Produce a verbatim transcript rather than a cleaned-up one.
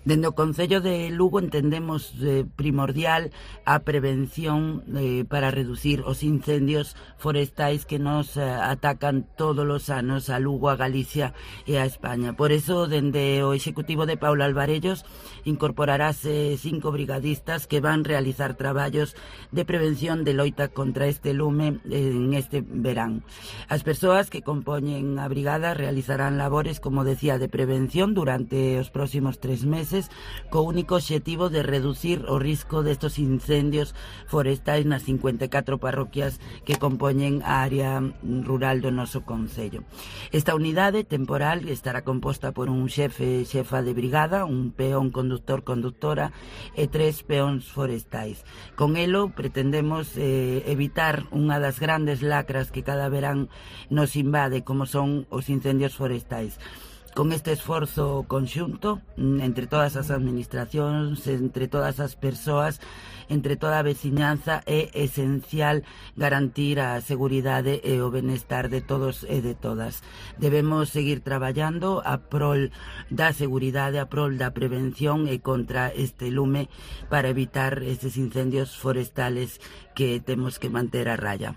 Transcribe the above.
Dende o Concello de Lugo entendemos eh, primordial a prevención eh, para reducir os incendios forestais que nos eh, atacan todos os anos a Lugo, a Galicia e a España. Por eso, dende o Executivo de Paula Alvarellos, incorporarase cinco brigadistas que van realizar traballos de prevención de loita contra este lume en este verán. As persoas que compoñen a brigada realizarán labores, como decía, de prevención durante os próximos tres meses, co único obxectivo de reducir o risco destos incendios forestais nas cincuenta e catro parroquias que compoñen a área rural do noso concello. Esta unidade temporal estará composta por un xefe xefa de brigada, un peón conductor conductora e tres peóns forestais. Con elo pretendemos eh, evitar unha das grandes lacras que cada verán nos invade, como son os incendios forestais. Con este esforzo conxunto entre todas as administracións, entre todas as persoas, entre toda a veciñanza, é esencial garantir a seguridade e o benestar de todos e de todas. Debemos seguir traballando a prol da seguridade, a prol da prevención e contra este lume para evitar estes incendios forestales que temos que manter a raya.